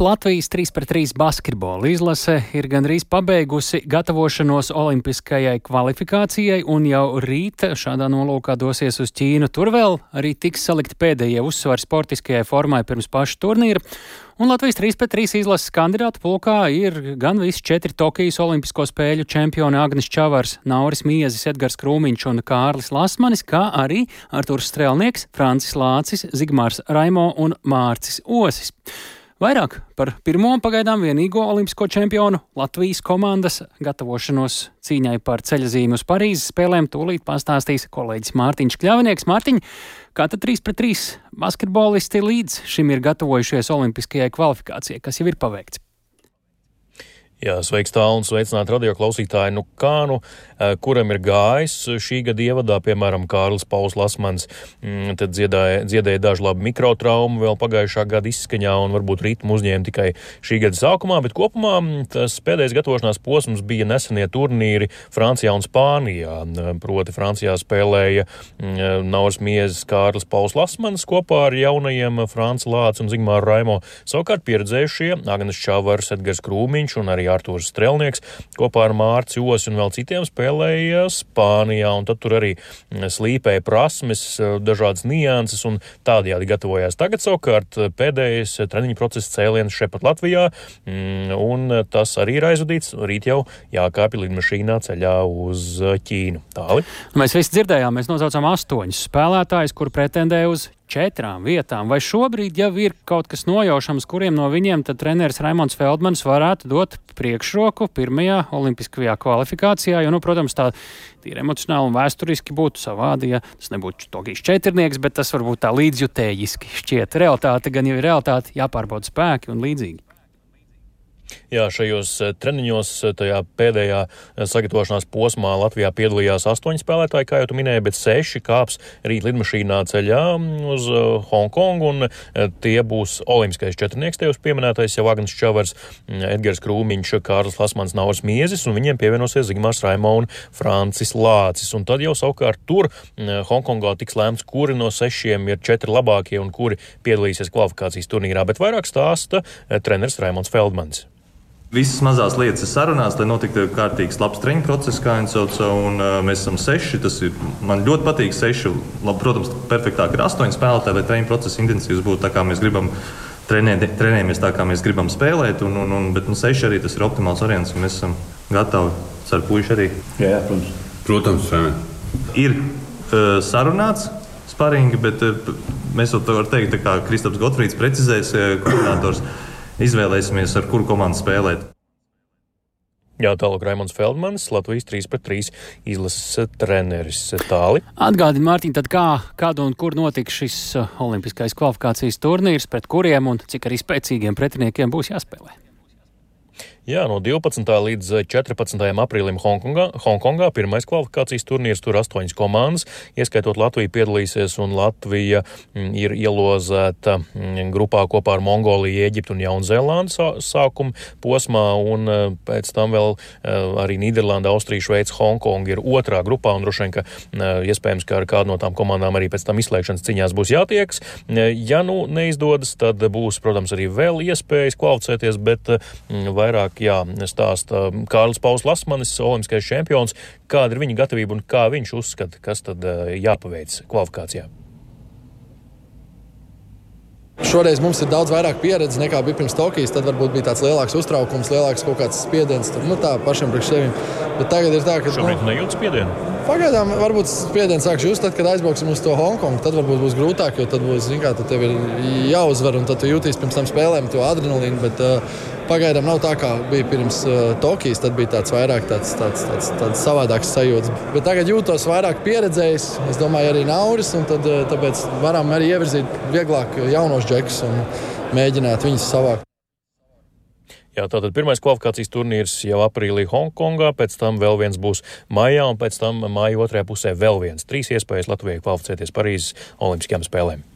Latvijas 3-3 basketbola izlase ir gandrīz pabeigusi gatavošanos olimpiskajai kvalifikācijai un jau rīt šādā nolūkā dosies uz Ķīnu. Tur vēl arī tiks salikti pēdējie uzsvari sportiskajai formai pirms paša turnīra. Un Latvijas 3-3 izlases kandidātu pulkā ir gan visi 4 Tokijas olimpisko spēļu čempioni Agnis Čavars, Nauris Miezis, Edgars Krūmiņš un Kārlis Lasmanis, kā arī Arturs Strelnieks, Francis Lācis, Zigmārs Raimo un Mārcis Osis. Vairāk par pirmo pagaidām vienīgo olimpisko čempionu Latvijas komandas gatavošanos cīņai par ceļazīmi uz Parīzes spēlēm tūlīt pastāstīs kolēģis Mārtiņš Kļavinieks. Mārtiņ, kā tad 3-3 basketbolisti līdz šim ir gatavojušies olimpiskajai kvalifikācijai, kas jau ir paveikts? Jā, sveiks tālu un sveicināt radio klausītāji. Kuram ir gājis šī gada ievadā, piemēram, Kārlis Pauls Lasmans, tad dziedēja dažu labu mikrotraumu vēl pagājušā gada izskaņā un varbūt ritmu uzņēma tikai šī gada sākumā, bet kopumā tas pēdējais gatavošanās posms bija nesenie turnīri Francijā un Spānijā. Proti Francijā spēlēja Nauris Miezis, Kārlis Pauls Lasmans kopā ar jaunajiem Franci Lāci un Zigmāru Raimo. Savukārt pieredzējušie Agnis Čavars, Edgars Krūmiņš un arī Arturs Strelnieks kopā ar Mārci Osi un vēl citiem spēlēja Spānijā, un tad tur arī slīpēja prasmes, dažādas nianses un tādējādi gatavojās. Tagad savukārt pēdējais treniņu procesa cēliens šepat Latvijā, un tas arī ir aizvadīts. Rīt jau jākāpj lidmašīnā ceļā uz Ķīnu. Tāli? Mēs visi dzirdējām, mēs nosaucām 8 spēlētājus, kur pretendē uz 4 vietām. Vai šobrīd jau ir kaut kas nojaušams, kuriem no viņiem tad treneris Raimonds Feldmanis varētu dot priekšroku pirmajā olimpiskajā kvalifikācijā, jo, protams, tā tīri emocionāli un vēsturiski būtu savādi, ja tas nebūtu Tokijas četrnieks, bet tas varbūt tā līdzjutējiski šķiet. Realitāte gan jau ir realitāte, jāpārbauda spēki un līdzīgi. Jā, šajos treniņos, tajā pēdējā sagatavošanās posmā Latvijā piedalījās 8 spēlētāji, kā jau tu minēji, bet 6 kāps rīt lidmašīnā ceļā uz Hongkongu, un tie būs olimpiskais četrnieks, tev pieminētais jau Agnis Čavars, Edgars Krūmiņš, Kārlis Lasmans, Nauris Miezis, un viņiem pievienosies Zigmārs Raimo un Francis Lācis. Un tad jau savukārt tur Hongkongā tiks lēmts, kuri no 6 ir 4 labākie un kuri piedalīsies kvalifikācijas turnīrā, bet vairāk stāsta treneris Raimonds Feldmanis. Visas mazās lietas ir sarunās, lai notiktu kārtīgs labs treniņu process, kā viņi sauc, un mēs esam 6. Man ļoti patīk 6. Protams, perfektāk ir 8 spēlētāji, lai treniņu process intensīvs būtu tā, kā mēs gribam trenējamies, tā kā mēs gribam spēlēt, bet 6 arī tas ir optimāls variants, un mēs esam gatavi ar puiši arī. Jā, protams. Ir sarunāts sparingi, bet mēs vēl varam teikt, tā kā Kristaps Gotfrīds precizēs, koordinators, izvēlēsimies, ar kuru komandu spēlēt. Jā, tālāk Raimonds Feldmanis, Latvijas 3-3 izlases treneris. Tāli. Atgādini, Mārtiņ, tad kādu un kur notiks šis olimpiskais kvalifikācijas turnīrs, pret kuriem un cik arī spēcīgiem pretiniekiem būs jāspēlē? Jā, no 12. līdz 14. aprīlim Hongkongā pirmais kvalifikācijas turnīrs, tur 8 komandas, ieskaitot Latviju piedalīsies, un Latvija ir ielozēta grupā kopā ar Mongoliju, Ēģiptu un Jaunzēlandu sākuma posmā, un pēc tam vēl arī Nīderlanda, Austrija, Šveica, Hongkonga ir otrā grupā, un droši vien, ka iespējams, ka ar kādu no tām komandām arī pēc tam izslēgšanas ciņās būs jātiekas. Ja neizdodas, tad būs, protams, arī vēl iespējas kvalificēties, bet vairāk stāsta Kārlis Pauls Lasmanis, olimpiskais čempions, kāda ir viņa gatavība un kā viņš uzskata, kas tad jāpaveic kvalifikācijā. Šoreiz mums ir daudz vairāk pieredzes nekā bija pirms Tokijas, tad varbūt bija tāds lielāks uztraukums, lielāks kaut kāds spiediens, tad, tā pašam priekš sevim. Bet tagad ir tā, ka... Šobrīd nejūt spiedienu? Pagaidām varbūt spiediens sāks just tad, kad aizbrauksim uz to Hongkongu, tad varbūt būs grūtāk, jo tad būs, tad tev ir jāuzvar un tad tu jūtīs pirms tam spēlēm to adrenalīnu, bet pagaidām nav tā, kā bija pirms Tokijas, tad bija tāds vairāk tāds savādāks sajūts. Bet tagad jūtos vairāk pieredzējis, es domāju arī Nauris, un tad, tāpēc varam arī ievirzīt vieglāk jaunos džekus un mēģināt viņus savākt. Jā, tātad pirmais kvalifikācijas turnīrs jau aprīlī Hongkongā, pēc tam vēl viens būs maijā, un pēc tam māja otrajā pusē vēl viens. 3 iespējas Latvijai kvalificēties Parīzes olimpiskajām spēlēm.